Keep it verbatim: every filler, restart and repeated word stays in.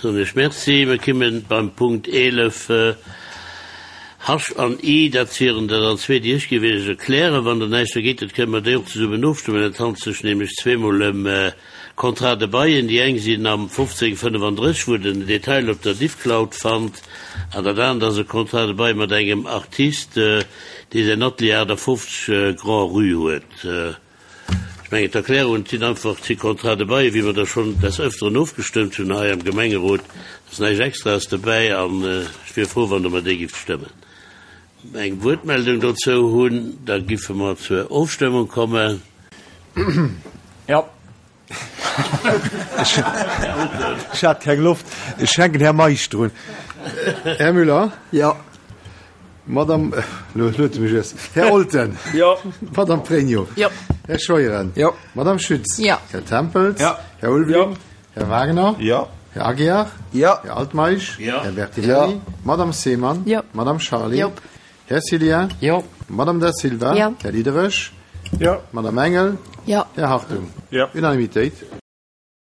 Soen ech Merci. Mir kommen beim Punkt eelef, H an I, dat wieren der dann zwee, déi ech géif Iech erklären. Wann Der näischt dergéint hutt, kënne mer déi och zesummen ofstëmmen. Et handelt sech nämlech zweemol ëm Contrats de bail. Déi eng sinn am fofzéng fënnefandrësseg, wou Der den Detail op der Diffcloud fannt, an dat anert ass e Contrat de bail mat engem Artist, dee säin Atelier aachtafofzeg Grand-Rue huet. Ech mengen, d'Erklärungen sinn einfach, et si Contrats de bail, wéi mer der schonn des Öfteren ofgestëmmt hunn hei am Gemengerot. Et ass näischt Extraes dobäi an ech wier frou, wann Der mer déi gifft stëmmen. Eng Wuertmeldung dozou hunn, da giffe mer zur Ofstëmmung kommen. Jo. Ech hat keng Loft. Ech hänken Här Meisch drun. Här Müller? Jo. Madame, elo huet e mech iess. Här Olten? Jo. Madame Pregno? Jo. Här Scheuren? Jo. Madame Schütz? Jo. Här Tempels? Jo. Här Ulveling? Jo. Här Wagner? Jo. Här Aguiar? Jo. Här Altmeisch? Jo. Här Bertinelli? Jo. Madame Seemann? Jo. Madame Charlé? Jo. Här Cillien? Jo. Madame Da Silva? Jo. Här Diderich? Jo. Madame Engel? Jo. Här Hartung? Jo. Unanimitéit.